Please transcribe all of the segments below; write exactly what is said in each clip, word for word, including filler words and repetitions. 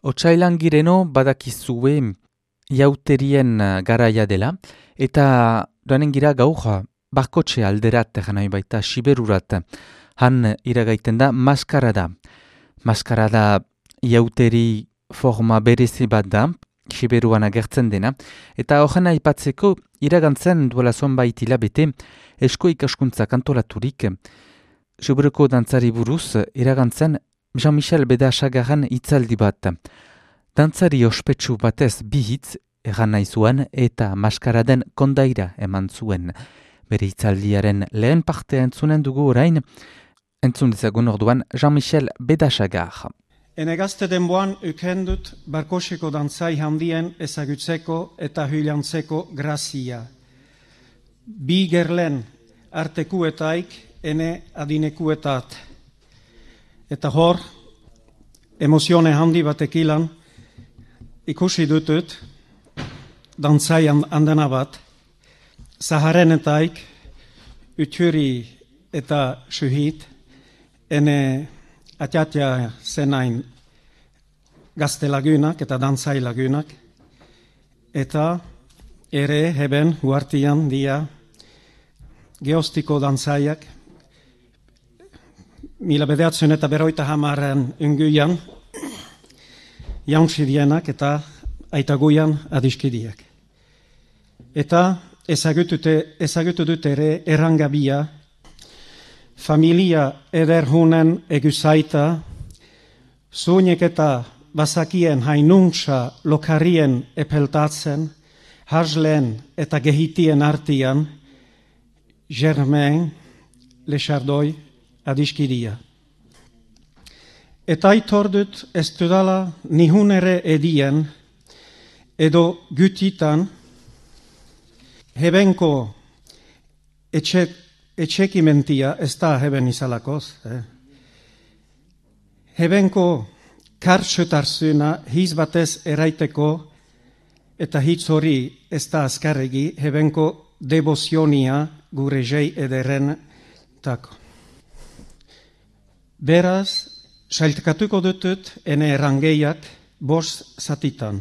Otsailan gireno badakizue jauterien garaia dela, eta doanen gira gaur barkotxe alderat, janai baita siberurat, han iragaiten da maskarada. Maskarada jauteri forma berezi bat da, siberuan agertzen dena, eta horren aipatzeko iragantzen duela zonbait hilabete esko ikaskuntza kantolaturik, siberuko dantzari buruz iragantzen Jean-Michel Bedasagarren hitzaldi bat. Dantzari ospetsu batez bi hitz egan nahi zuen eta maskaraden kondaira eman zuen. Bere hitzaldiaren lehen partea entzunen dugu orain, entzun dezagun orduan Jean-Michel Bedasagar. Ene gazte denboan ukendut barkoseko dantzai handien ezagutzeko eta hylantzeko grazia. Bi gerlen artekuetaik ene adinekuetat. Eta hor, emozione handi batekilan ikusi dutut dantzai andana bat, zaharenetaik uturi eta suhit, ene atiatia zenain gazte lagunak eta dantzai lagunak, eta ere heben huartian dia geostiko dantzaiak, mila bedeatzen eta beroita hamaren unguian, jauntzidienak eta aitaguian adiskidiak. Eta ezagutu dut ere errangabia, familia ederhunen eguzaita, zuinek eta bazakien hainuntza lokarien epeltatzen, hasleen eta gehitien artian, Germain Lechardoi adiskidia. Eta itordut ez dudala nihun ere edien, edo gutitan, hebenko etxek, etxekimentia, ez da heben izalakoz, eh? Hebenko kartxetarzuna hiz batez eraiteko, eta hitz hori ez da azkarregi, hebenko devozionia gure jei ederen tako. Beraz, sailtkatuko dutut ene errangeiak bost zatitan.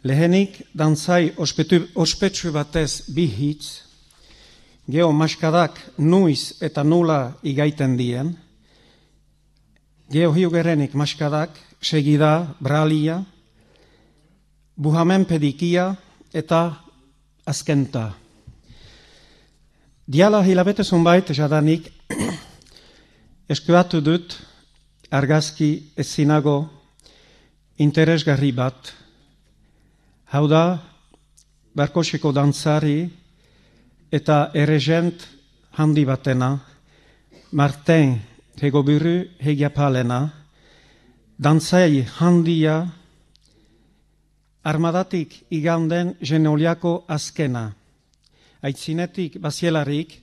Lehenik, dantzai ospetu, ospetsu batez bi hitz, geho maskadak nuiz eta nula igaiten dien, geho hiugerenik maskadak segida bralia, buhamen pedikia eta azkenta. Diala hilabete zunbait jadanik, eskuatu dut argazki ezinago interesgarri bat, hau da barkoseko dantzari eta erregent handi batena, Martin Hegoburu Hegiapalena, dantzai handia, armadatik iganden Genoliako azkena, aitzinetik bazielarik,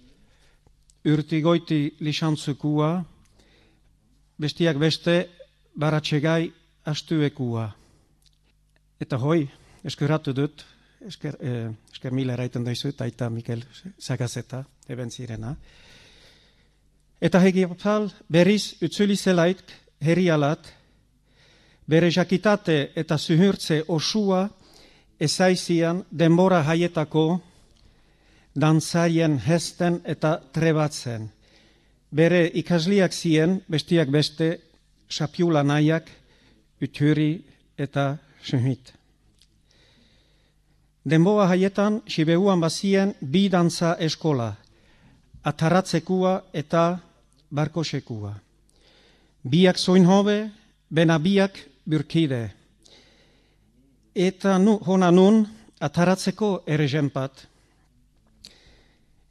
urtigoiti lisantzukua, bestiak beste baratxegai astuekua. Eta hoi, eskeratu dut, esker, eh, esker mila eraiten doizut, aita Mikel Sagazeta, eben zirena. Eta Hegiapal berriz utzuli zelaik herrialat, bere jakitate eta zuhurtze osua ezaizian denbora haietako dantzaien hesten eta trebatzen. Bere ikasliak zien, bestiak beste, sapiula nahiak, uturi eta suhit. Denboa haietan, Siberuan bazien bi dantza eskola, ataratzekua eta barkosekua. Biak zoin hobe, bena biak burkide. Eta nu, hona nun, ataratzeko erregenpat,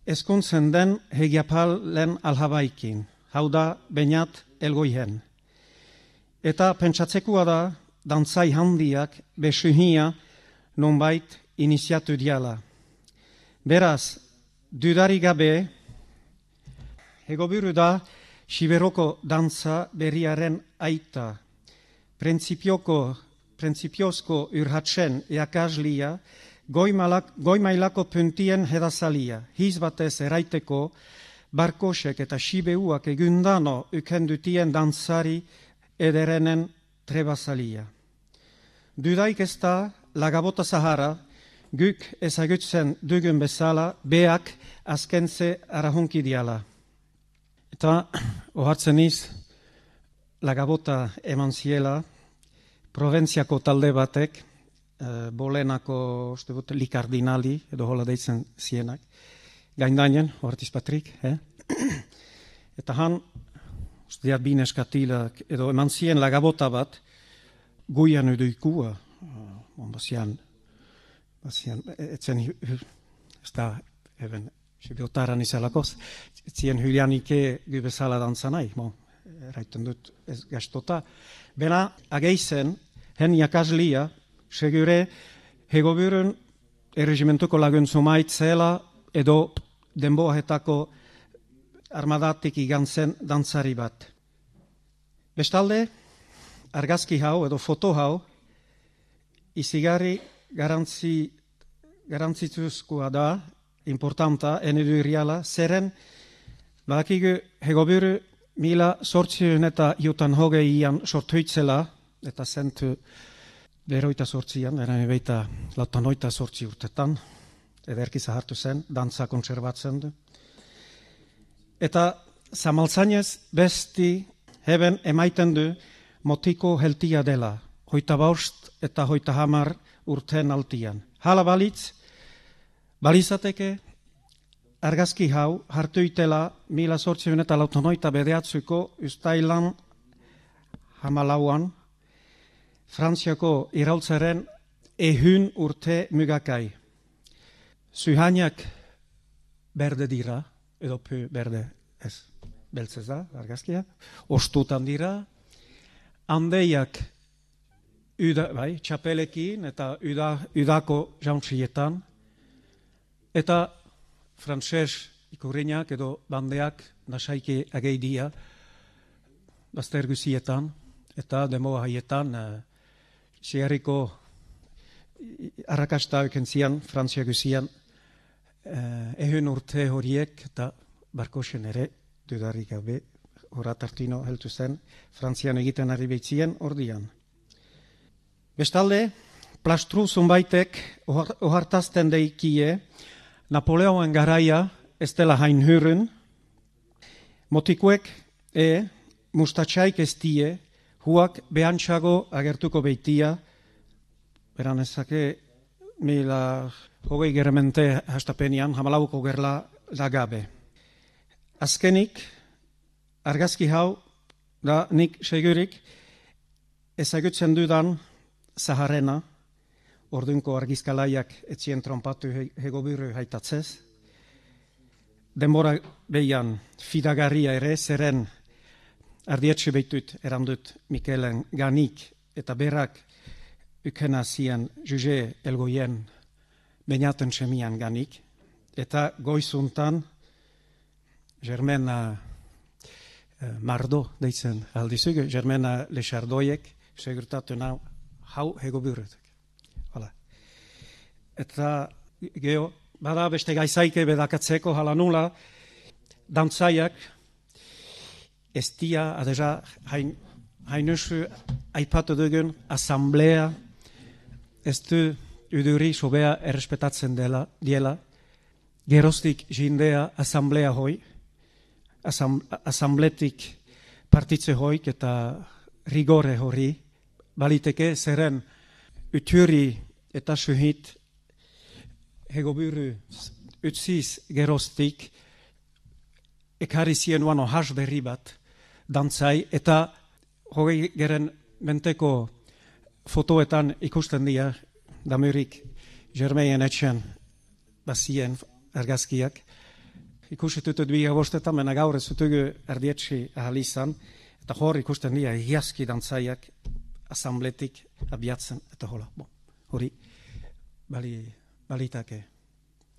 ezkontzen den Hegiapalen alhabaikin, hau da Beñat Elgoihen. Eta pentsatzekoa da, dantzai handiak besuhia nonbait iniziatu diala. Beraz, dudari gabe, Hegoburu da Siberoko dantza berriaren aita, prinsipioko, prinsipiozko urhatzen eakaslia, Goimailako puntien hedazalia, hiz batez eraiteko, barkosek eta Sibeuak egundano ukendutien dantzari ederenen trebazalia. dudaik ez da lagabota zahara, guk ezagutzen dugun bezala, beak azkentze arahunki diala. Eta ohartzen iz, lagabota eman ziela, Proventziako talde batek, uh, bolenako uste dut, likardinali, edo hola deitzen zienak, gaindainen, ohartiz Patrik, eh? Eta han, uste diat bineskatilak, edo eman zien lagabota bat, guian edoikua, uh, on bazian, bazian, etzen, ez da, eben, sibiotaran izalakoz, etzien hylianike gu bezala dantzanai, bon, eraiten dut ez gastota. Bena, ageizen, hen jakaslia, segure, hegoburun erregimentuko laguntzu maitzela edo denboahetako armadatik igantzen dantzari bat. Bestalde, argazki hau edo foto hau, izigarri garantzi, garantzituzkoa da, importanta, enedu irriala, zeren, badakigu hegoburu mila sortziun eta jutan hogeian sortuitzela, eta zentu beroita sortzian, eran ebeita lautan oita sortzi urtetan, ederki zahartu zen, dantza konserbatzen du. Eta zamaltzainez besti heben emaiten du motiko heltia dela, hoita baust eta hoita hamar urten altian. Hala balitz, balizateke argazki hau hartu itela mila sortziun eta lautan oita bedeatzuko ustailan hamalauan, Frantziako iraultzaren ehun urte mugakai. Zuhainak berde dira, edo pu berde ez, beltzez da, argazkia, ostutan dira, handeiak uda, bai, txapelekin eta uda, udako jauntzietan, eta frantses ikurriñak edo bandeak nasaiki ageidia bazter guzietan, eta demoa haietan uh, Siarriko arrakasta ekentzian, Frantzia guzian, eh, ehun urte horiek eta barkosen ere, dudarik gabe, horat hartino heltu zen, Frantzian egiten ari behitzien ordian. Bestalde, plastru zunbaitek ohartazten deikie, Napoleoen garaia ez dela hain hurren, motikuek e mustatxaik ez die, huak behantxago agertuko beitia, beran ezake mila hogei geramente hastapenian, hamalauko gerla lagabe. Azkenik, argazki hau, da nik segurik, ezagutzen dudan Zaharrena, ordunko argizkalaiak etzien trompatu hegoburu haitatzez, denbora behian fidagarria ere, zeren ardietxe behitut erandut Mikelen ganik eta berak ukena zien juge elgoien beinaten semian ganik. Eta goizuntan Germena eh, Mardo deitzen aldizuk, Germena Lexardoiek segurtatu nau hau hegoburetek. Hala. Eta geho, bada beste gaizaike bedakatzeko hala nula, dantzaiak ez dia, adeza, hain, hainusu aipatu dugun asamblea, ez du uduri sobea errespetatzen dela, diela, geroztik jindea asamblea hoi, asam, asambletik partitze hoik eta rigore hori, baliteke zeren uturi eta suhit hegoburu utziz geroztik ekarri zien uano has berri bat, dantzai, eta hogei geren menteko fotoetan ikusten dira, damurik Germeien etxen bazien argazkiak. Ikusitutut bi agostetan, mena gaur ez zutugu erdietxi ahalizan, eta hor ikusten dira hiaski dantzaiak asambletik abiatzen, eta hola, bon, hori bali, balitake.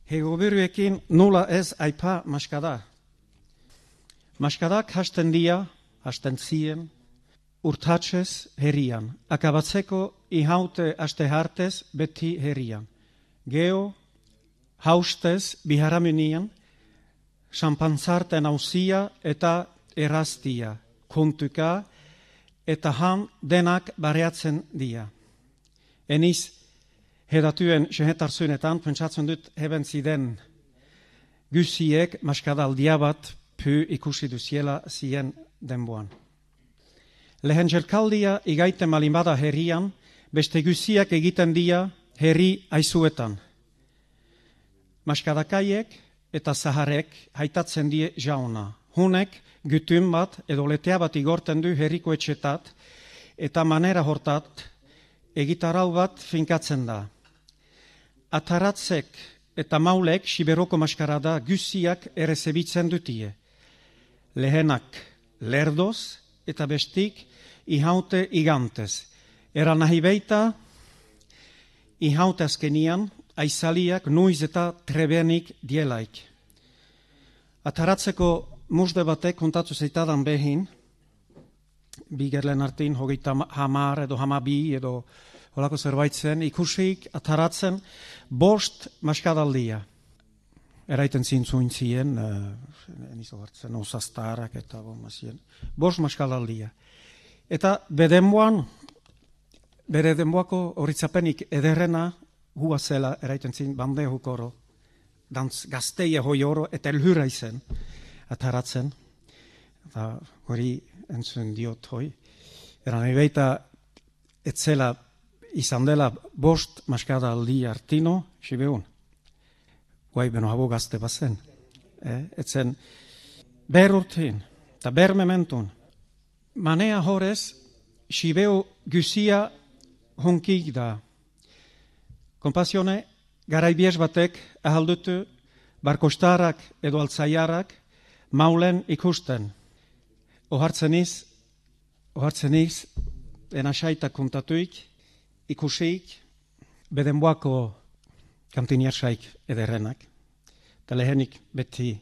Hegoburuekin nula ez aipa maskada. Maskadak hasten dia, hasten zien, urtatzez herrian. Akabatzeko ihaute aste hartez beti herrian. Geo, haustez biharaminian, xampantzarten ausia eta erraztia, kontuka eta han denak bareatzen dia. eniz hedatuen sehetarzunetan, pentsatzen dut heben ziden guziek maskadaldia bat py ikusi duziela zien denboan. Lehen jelkaldia igaiten malinbada herrian, beste guziak egiten dia herri aizuetan. Maskadakaiek eta zaharek haitatzen die jauna. Hunek gutun bat edo letea bat igorten du herriko etxetat eta manera hortat egitarau bat finkatzen da. Ataratzek eta maulek siberoko maskarada guziak errezebitzen dutie. Lehenak lerdoz eta bestik ihaute igantez. Era nahi beita ihaute azkenian aizaliak nuiz eta trebenik dielaik. Ataratzeko musde batek kontatu zeitadan behin, bigerlen artin, hogeita hamar edo hamabi edo holako zerbaitzen, ikusik ataratzen bost maskadaldia. Eraiten zintzuin zien, uh, enizo hartzen, osaztarak eta bomazien, bost maskadaldia. Eta bedenboan, bere denboako horitzapenik ederrena hua zela, eraiten zin, bande hukoro, dantz gazteia hoi oro, eta elhura izen, ataratzen, eta hori entzun diot hoi. Eran ebeita, etzela izan dela bost maskada aldi artino, sibeun. Guai beno habo gazte bazen. Eh? Etzen ber urtin, eta ber mementun. Manea horrez, sibeu guzia honkik da. Kompasione, garaibies batek ahaldutu barkostarak edo altzaiarak maulen ikusten. Ohartzeniz, ohartzeniz, enasaita kontatuik, ikusik, bedenboako kantiniarsaik ederrenak. Eta lehenik beti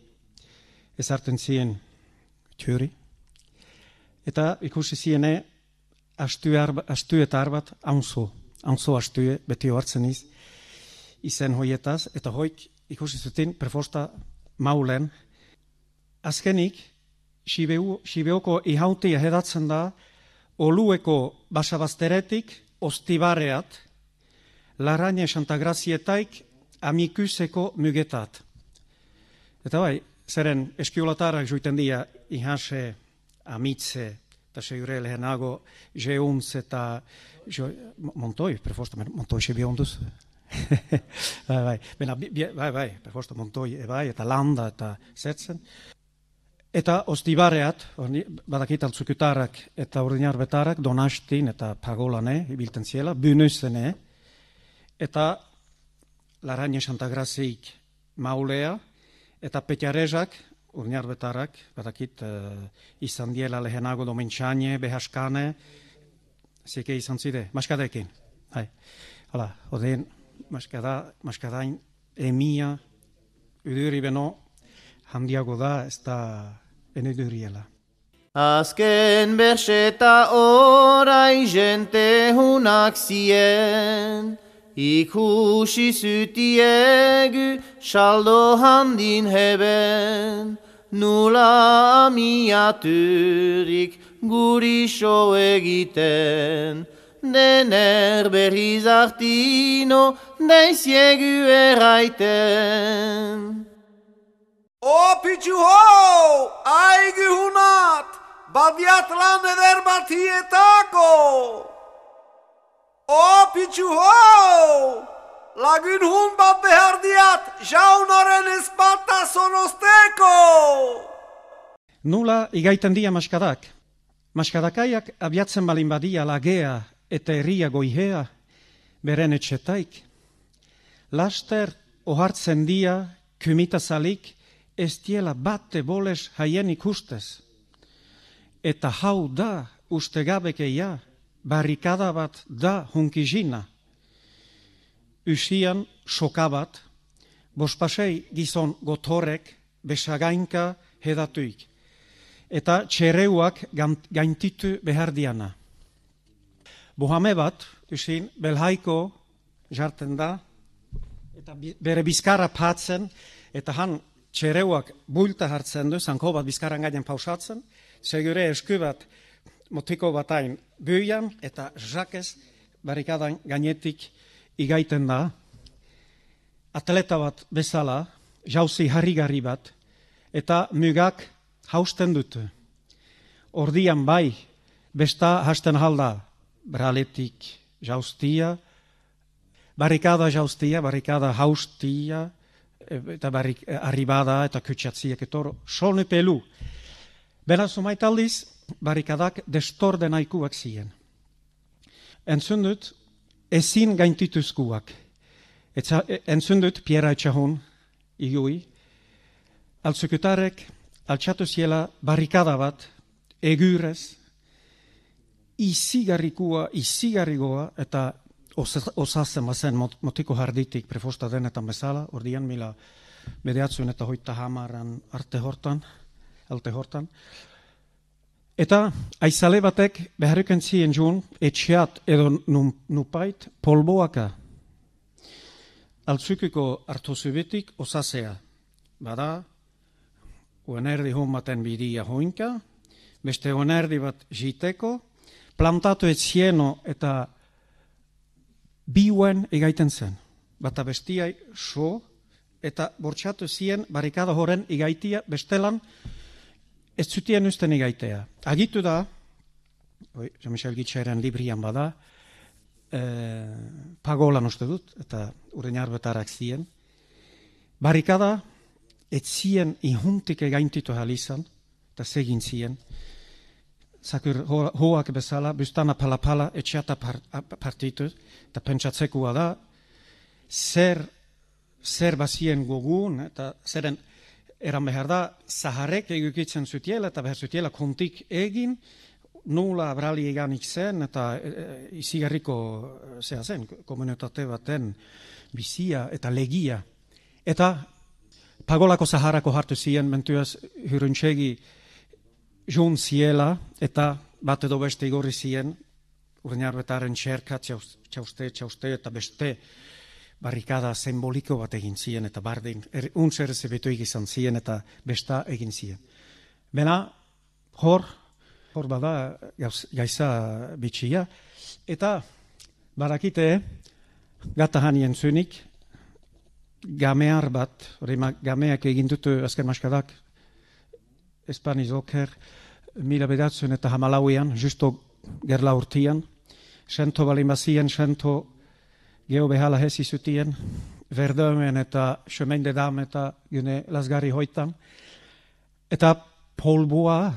ezarten zien txuri. Eta ikusi ziene astu, arba, astu eta arbat haunzo. Haunzo astue beti ohartzeniz izen hoietaz. Eta hoik ikusi zuten prefosta maulen. Azkenik, Sibeoko ihautia hedatzen da olueko basabazteretik ostibareat, Laraine Santagrazietaik amikuseko mugetat. Eta bai, zeren eskiolatarak joiten dia ihase, amitze, eta segure lehenago jeuntz eta jo, montoi, prefosta, montoi se bionduz. bai, bai, bena, bai, bai, prefosta montoi, bai, eta landa, eta zetzen. Eta ostibareat, badakit altzukutarak eta ordinar betarak, donastin eta pagolane, ibilten ziela, bünüzene, eta Laraine Santagrazik maulea, eta petiarezak, ordinar betarak, badakit uh, izan diela lehenago domentxane, behaskane, zike izan zide, maskadekin. Hai. Hala, odein, maskada, maskadain, emia, uduri beno, handiago da, ez da eneduriela. Azken berseta orai jente hunak zien, ikusi zutiegu saldo handin heben, nula amiaturik guri so egiten, dener berriz artino daiziegu erraiten. O pitxu ho, aigi hunat, badiat lan eder batietako. O pitxu ho, lagun hun bat behar diat, jaunaren espata zonosteko. Nula igaiten dia maskadak. Maskadakaiak abiatzen balin badia lagea eta herria goihea, beren etxetaik. Laster ohartzen dia, kumitazalik, ez diela bate boles haien ikustez. Eta hau da ustegabekeia, barrikada bat da hunkizina. Usian sokabat, bospasei gizon gotorek besagainka hedatuik. Eta txereuak gaintitu behar diana. Bohame bat, usin, belhaiko jarten da, eta bere bizkarra patzen, eta han txereuak bulta hartzen du, zanko bat bizkaran gainen pausatzen, segure esku bat motiko batain buian, eta jakez barrikadan gainetik igaiten da, atleta bat bezala, jauzi harrigarri bat, eta mugak hausten dute. Ordian bai, besta hasten halda, braletik jauztia, barrikada jauztia, barrikada haustia, eta barrik, arribada eta kutsatziak etoro, solne pelu. Beraz, omaitaldiz, barrikadak destorde nahikuak ziren. Entzun dut, ezin gaintituzkuak. Entzun dut, Pierre Etxahun, igui, altzekutarek, altxatu ziela barrikada bat, egurez, izigarrikua, izigarrigoa, eta osazen bazen motiko harditik prefosta denetan bezala, ordian mila bedeatzuen eta hoita hamaran arte hortan, alte hortan. Eta aizale batek beharriken zien jun, etxeat edo nupait polboaka. Altzukiko hartuzubitik osasea. Bada, uenerdi hommaten bidia hoinka, beste uenerdi bat jiteko, plantatu etzieno eta biuen egaiten zen. Bata bestiai so, eta bortxatu zien barrikada horren igaitia bestelan ez zutien usten igaitea. Agitu da, oi, Jean-Michel Gitxaren librian bada, e, pagolan uste dut, eta ureñar betarak zien, barrikada ez zien ihuntik egaintitu halizan, eta segin zien, zakur hoak bezala, bustana pala-pala etxeata partitu, eta pentsatzekoa da, zer, zer bazien gogun, eta zeren eran behar da, zaharrek egukitzen zutiela, eta behar zutiela kontik egin, nula abrali eganik zen, eta e, izigarriko zea zen, komunitate baten bizia eta legia. Eta pagolako zaharrako hartu ziren, mentuaz huruntsegi jun ziela, eta bat edo beste igorri ziren, urniarbetaren txerka, txauste, txauste, eta beste barrikada simboliko bat egin ziren, eta bardin, er, untzer zebetuik izan ziren, eta besta egin ziren. Bena, hor, hor bada gaiza bitxia, eta barakite, gata hanien zunik, gamear bat, hori gameak egin dutu azken maskadak, Espaniz oker, mila bedatzen eta hamalauian, justo gerla urtian, sento balimazien, sento geho behala hesi zutien, Verdömen eta Chemin de Dam eta gune lasgarri hoitan, eta polboa,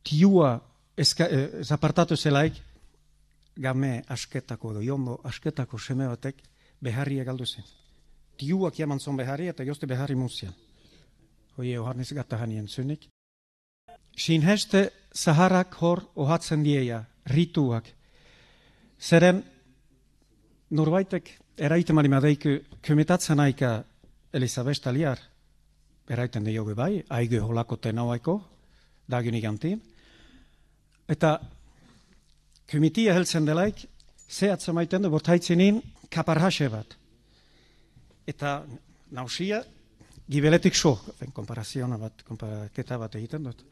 tiua, eska, eh, zapartatu zelaik, game asketako edo jondo asketako seme batek beharria galdu zen. Tiuak jaman zon beharri eta jozte beharri muzian. Hoi Johannes gata hanien zunik. Sinheste zaharrak hor ohatzen dieia, rituak. Zeren, norbaitek eraiten marimadeiku kumitatzen aika Elisabesta liar, eraiten diogu bai, aigu holako tenauaiko, dagunik antin. Eta kumitia heltzen delaik, zehatzen maiten du, bortaitzinin kaparhase bat. Eta nausia, gibeletik so, komparaziona bat, komparaketa bat egiten dut.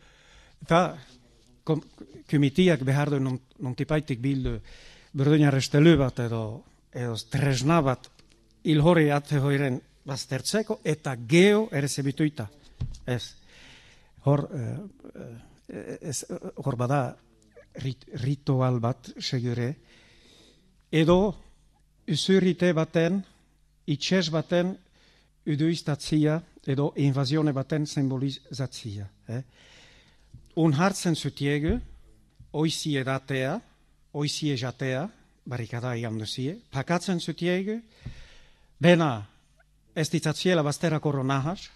Eta kumitiak behar du nontipaitik bildu burduina restelu bat edo, edo tresna bat ilhori ate hoiren baztertzeko eta geo ere zebituita. Ez. Hor, eh, ez, hor bada rit, ritual bat segure edo usurite baten, itxez baten uduiztatzia edo invazione baten symbolizatzia. Eh? Un hartzen zutiegu, oizi edatea, oizi ejatea, barrikada egan duzie, pakatzen zutiegu, bena ez ditzatziela bazterako ronahas,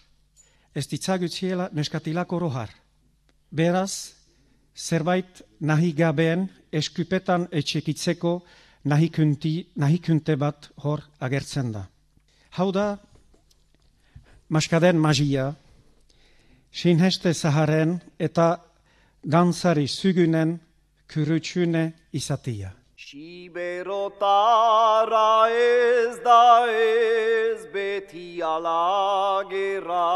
ez ditzagutziela neskatilako rohar. Beraz, zerbait nahi gabeen eskupetan etxekitzeko nahikunte bat hor agertzen da. Hau da, maskaden magia, sinheste zaharen eta dantzari zugunen kurutsune izatia. Siberotara ez da ez beti alagera,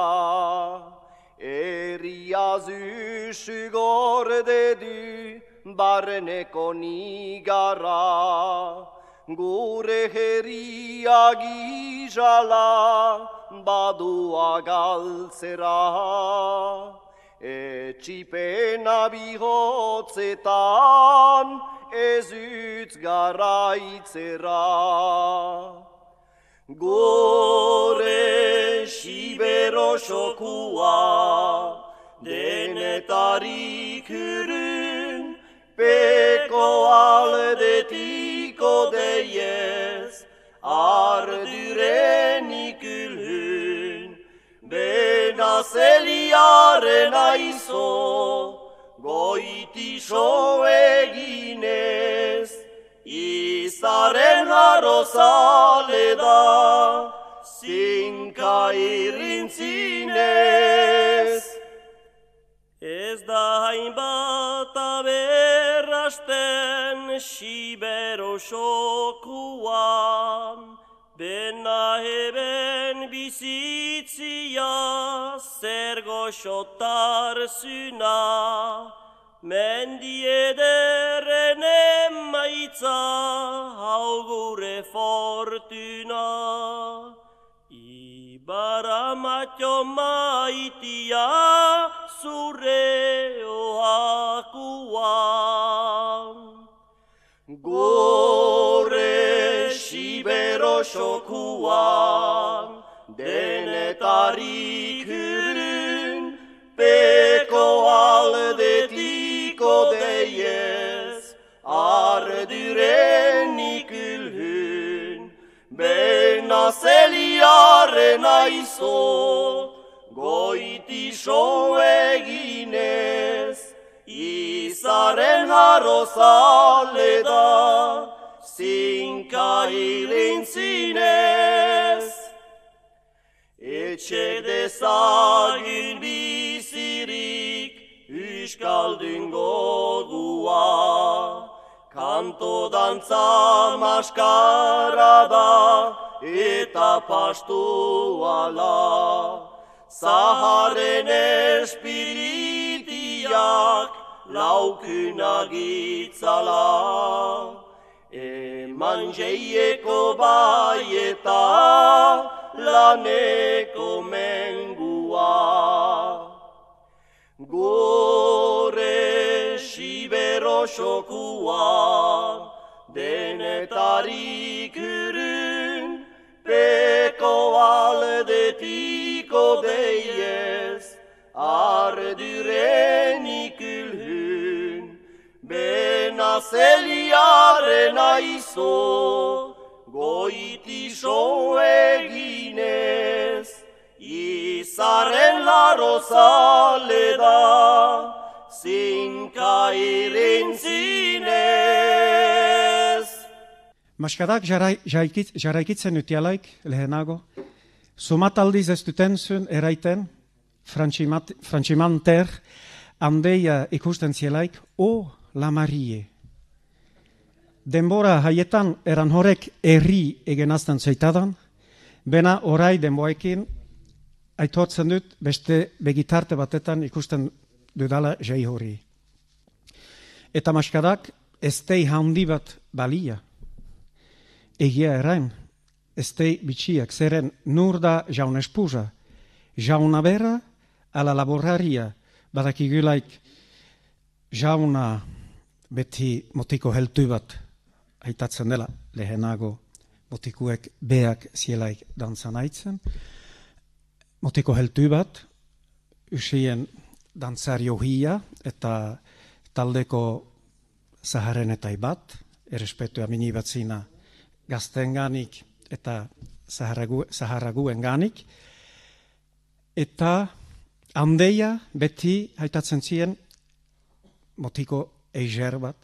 eriaz üsü gorde du barneko nigara, gure herria gizala badua galtzera. Etxipena bihotzetan ez utz garaitzera. Gore sibero xokua denetarik urun, peko aldetiko deiez ardurenik ülhün. Benazeliaren aizo goitixo eginez, izaren harrozale da zinka irrintzinez. Ez da hainbat aberrasten sibero xokuan, bena heben bizitzia zer goxotar zuna, mendi ederren emaitza hau gure fortuna. Ibara matio maitia zure oakuan. Gore sibero xokuan denetarik urun, peko aldetiko deiez ardurenik ülhün. Benazeliaren aizo goitixo eginez, izaren harrozale da zinka irrintzinez. Etxe dezagun bizirik euskaldun gogua, kanto dantza maskara da eta pastu ala. Zaharen espiritiak laukuna gitzala. Eman jeieko baieta laneko mengua. Gore sibero xokuan denetarik urun, peko aldetiko deiez ardurenik ülhün. Benazeliaren aizo goitixo eginez, izaren larrozale da zinka irrintzinez. Maskadak jarraikitzen utialaik lehenago, sumataldiz ez duten zuen eraiten, frantximanter, handeia ikusten zielaik, o la Marie. Denbora haietan eran horrek herri egenazten zeitadan, bena orai denboekin aitortzen dut beste begitarte batetan ikusten dudala jai hori. Eta maskadak eztei handi bat balia. Egia erain, eztei bitxiak zeren nur da jaun espusa, jauna bera ala laboraria, badakigulaik jauna beti motiko heltu bat aitatzen dela lehenago motikuek beak zielaik dantzan aitzen. Motiko heltu bat, usien dantzar johia eta taldeko zaharrenetai bat, errespetu amini batzina gaztenganik eta zaharraguen ganik, eta handeia beti haitatzen zien motiko eiger bat,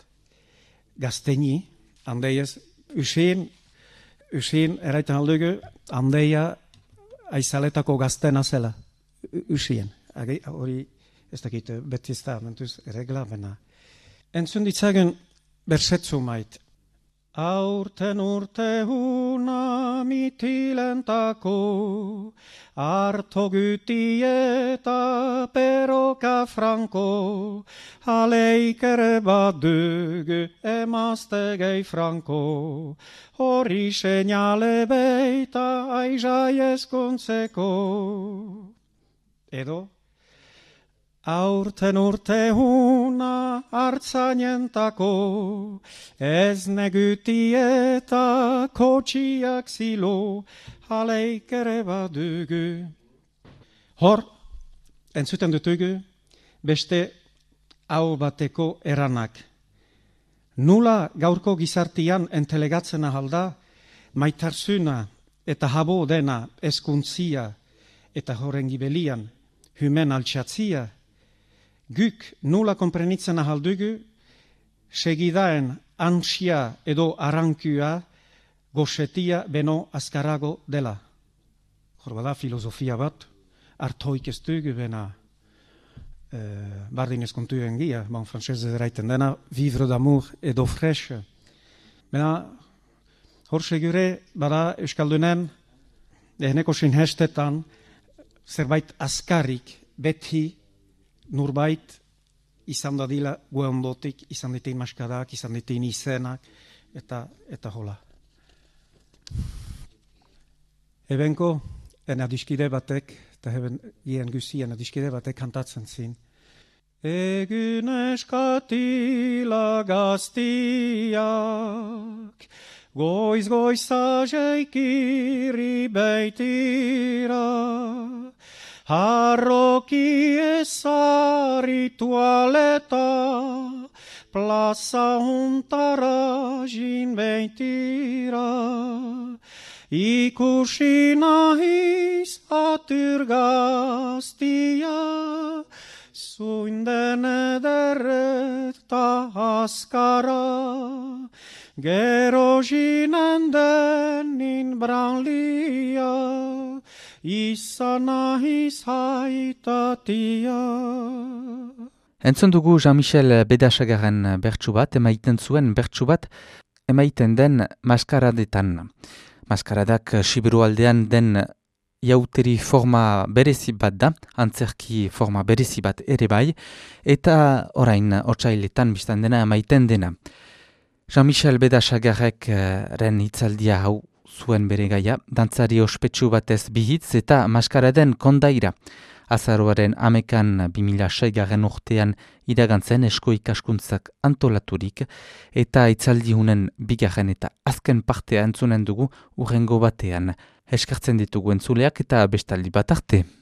gazteni, handeiez, usien, usien eraitan aldugu, handeia aizaletako gaztena zela, usien. Hori ez dakit beti ez da, mentuz regla bena. Entzun ditzagen bersetzu mait, Aurten urte huna mitilentako, harto güti eta peroka franko, aleik ere badugu emazte gehi franko, hori seinale beita aizai eskontzeko. Edo? Aurten urte huna hartzainentako, ez neguti eta kotxiak zilo, aleik ere badugu. Hor, entzuten dutugu, beste hau bateko eranak. Nula gaurko gizartian entelegatzen ahalda, maitarsuna eta habo dena eskuntzia eta horren gibelian, hymen altxatzia, guk nula komprenitzen ahaldugu, segidaen antsia edo arankua goxetia beno azkarago dela. Hor bada filosofia bat, artoik ez dugu bena eh, bardin eskontuen gia, bon frantzez eraiten dena, vivre d'amour edo fresh. Bena, hor segure bada euskaldunen, ehneko sinhestetan, zerbait azkarrik beti nurbait izan dadila guendotik, izan ditin maskadak, izan ditin izenak, eta, eta hola. Ebenko, en adiskide batek, eta heben gien guzi, en adiskide batek kantatzen zin. Egun eskatila gaztiak, goiz goizajeik irri beitira, harroki ezari tualeta, plaza huntara jin beitira. Ikusi nahiz atur gaztia, zuinden ederret ta askara, gero jinen denin branlia, izan nahiz haitatia. Entzun dugu Jean-Michel Bedasagaren bertsu bat, emaiten zuen bertsu bat, emaiten den maskaradetan. Maskaradak Siberualdean den jauteri forma berezi bat da, antzerki forma berezi bat ere bai, eta orain otsailetan biztan dena emaiten dena. Jean-Michel Bedasagarek ren hitzaldia hau zuen bere gaia, dantzari ospetsu batez bihitz eta maskaraden kondaira. Azaroaren amekan bi mila sei garren urtean iragantzen esko ikaskuntzak antolaturik eta hitzaldi hunen bigarren eta azken partea entzunen dugu urrengo batean. Eskertzen ditugu entzuleak eta bestaldi bat arte.